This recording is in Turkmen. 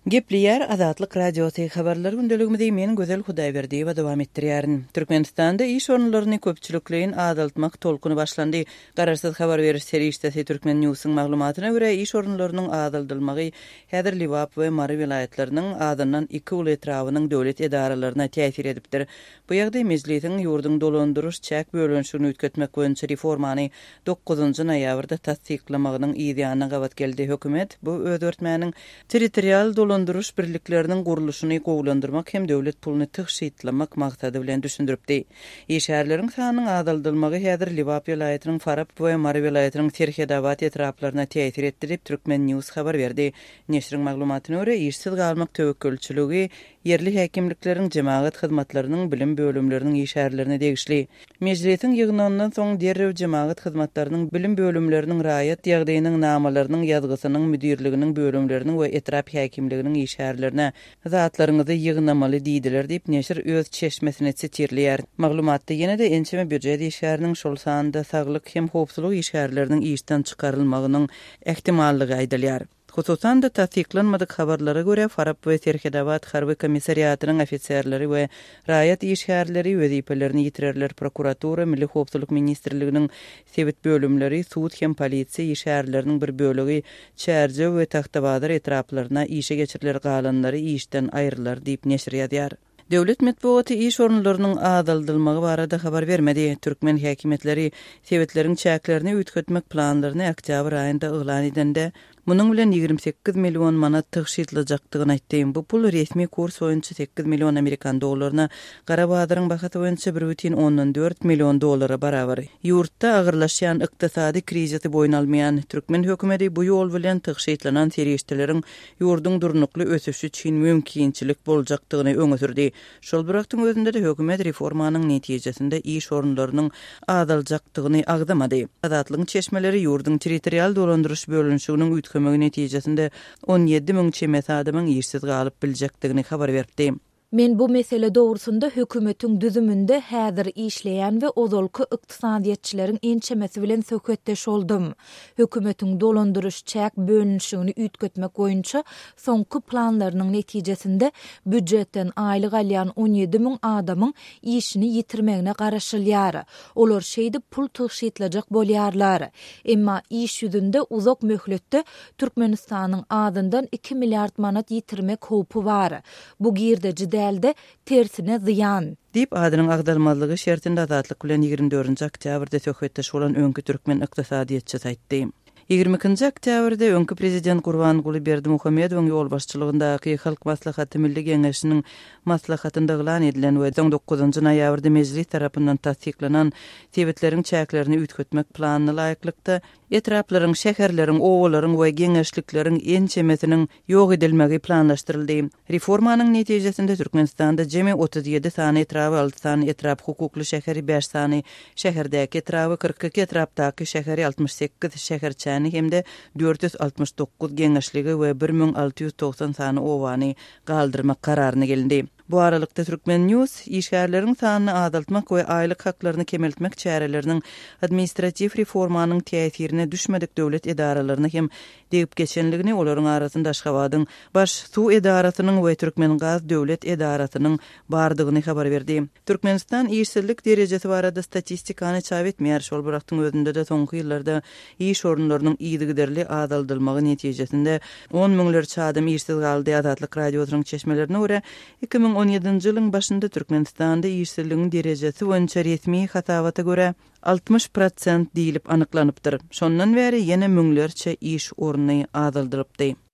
Gepleýär Azatlyk Radiosy, Habarlar gündeligimizi men Gözel Hudaýberdiýewa dowam etdirýärin. Türkmenistanda iş orunlaryny köpçülikleýin azaltmak tolkuny başlandy. Garaşsyz habar beriş serişdesi Turkmen Newsiň maglumatyna görä, iş orunlarynyň azaldylmagy häzir Lebap we Mary welaýatlarynyň azyndan iki uly etrabynyň döwlet edaralaryna täsir edipdir. Bu ýagdaý Mejlisiň ýurduň dolandyryş-çäk bölünişigini üýtgetmek boýunça reformany dokuzynjy noýabrda tassyklamagynyň yz ýanyna gabat geldi. Hökümet bu özgertmäniň territorial dolandyryş birlikleriniň gurluşyny gowulandyrmak hem döwlet puluny tygşytlamak maksady bilen düşündiripdi. Işgärleriň sanynyň azaldylmagy häzir Lebap welaýatynyň Farap we Mary welaýatynyň Serhedabat etraplaryna täsir etdi diýip, Turkmen. News habar berdi. Neşiriň maglumatyna görä, işsiz galmak töwekgelçiligi ýerli häkimlikleriň jemagat hyzmatlarynyň bilim bölümleriniň işgärlerine degişli. Mejlisiň ýygnagyndan soň derrew jemagat hyzmatlarynyň bilim bölümleriniň raýat ýagdaýynyň namalarynyň ýazgysynyň müdirliginiň bölümleriniň we etrap häkimliginiň işgärlerine zatlaryňyzy ýygnamaly diýdiler diýip, neşir öz çeşmesini sitirleýär. Maglumatda ýene-de ençeme býujet işgäriniň, şol sanda saglyk hem howpsuzlyk işgärleriniň işden çykarylmagynyň ähtimallygy aýdylýar. Hususan-da, tassyklanmadyk habarlara görä, Farap we Serhedabat harby komissariatynyň ofiserleri we raýat işgärleri wezipelerini ýitirerler, prokuratura, Milli howpsuzlyk ministrliginiň sebit bölümleri, sud hem polisiýa işgärleriniň bir bölegi Çärjew we Tagtabazar etraplaryna işe geçiriler, galanlary işden aýrylar diýip, neşir ýazýar. Döwlet metbugaty iş orunlarynyň azaldylmagy barada habar bermedi. Türkmen häkimiýetleri sebitleriň çäklerini üýtgetmek planlaryny oktýabr aýynda yglan edende, munuň bilen 28 million manat tygşytlajakdygyny aýtdy. Bu pul resmi kurs boýunça sekiz million amerikan dollaryna, gara bazaryň bahasy boýunça bir bütin ondan dört million dollara barabar. Ýurtda agyrlaşýan ykdysady krizisi boýun almaýan türkmen hökümeti bu ýol bilen tygşytlanan serişdeleriň ýurduň durnukly ösüşi üçin mümkinçilik boljakdygyny öňe sürdi. Şol bir wagtyň özünde-de hökümet reformanyň netijesinde iş orunlarynyň azaljakdygyny agzamady. Azatlygyň çeşmeleri ýurduň territorial dolandyryş bölünişiginiň üýtgemegi netijesinde 17 müň çemesi adamyň işsiz galyp biljekdigini habar beripdi. Men bu mesele dogrusynda hökümetiň düzüminde häzir işleýän we ozalky ykdysadyýetçileriň ençemesi bilen söhbetdeş boldum. Hökümetiň dolandyryş-çäk bölünişigini üýtgetmek boýunça soňky planlarynyň netijesinde býujetden aýlyk alýan 17 müň adamyň işini ýitirmegine garaşylýar. Olar şeýdip pul tygşytlajak bolýarlar. Emma iş ýüzünde uzak möhletde Türkmenistanyň azyndan iki milliard manat ýitirmek howpy bar. Bu girdeji däl-de, tersine zyýan. Diýip, adynyň agzalmazlygy şertinde Azatlyk bilen ýigrimi dördünji oktýabrda söhbetdeş bolan öňki türkmen ykdysadyýetçisi aýtdy. Ýigrimi ikinji oktýabrda öňki prezident Gurbanguly Berdimuhamedowyň ýolbaşçylygyndaky Halk Maslahaty Milli Geňeşiniň maslahatynda yglan edilen we soň dokuzynjy noýabrda Mejlis tarapyndan tassyklanan sebitleriň çäklerini üýtgetmek planyna laýyklykda, etraplaryň, şäherleriň, obalaryň we geňeşlikleriň ençemesiniň ýok edilmegi planlaşdyryldy. Reformanyň netijesinde Türkmenistanda jemi 37 sany etraby, alty sany etrap hukukly şäheri, bäş sany şäherdäki etraby, 42 etrapdaky şäheri, 68 şäherçäni hem-de 469 geňeşligi we 1690 sany obany galdyrmak kararyna gelindi. Bu aralykda, Turkmen. News işgärleriň sanyny azaltmak we aýlyk haklaryny kemeltmek çäreleriniň administratiw reformanyň täsirine düşmedik döwlet edaralaryna hem degip geçenligini, olaryň arasynda Aşgabadyň Baş suw edarasynyň we Türkmengaz döwlet edarasynyň bardygyny habar berdi. Türkmenistan işsizlik derejesi barada statistikany çap etmeýär, şol bir wagtyň özünde-de soňky ýyllarda iş orunlarynyň yzygiderli azaldylmagy netijesinde on müňlerçe adam işsiz galdy. Azatlyk Radiosynyň çeşmelerine görä, 2017-nji ýylyň başynda Türkmenistanda işsizligiň derejesi boýunça resmi hasabata görä, 60 prosent diýlip anyklanypdyr. Şondan bäri ýene müňlerçe iş orny azaldylypdy.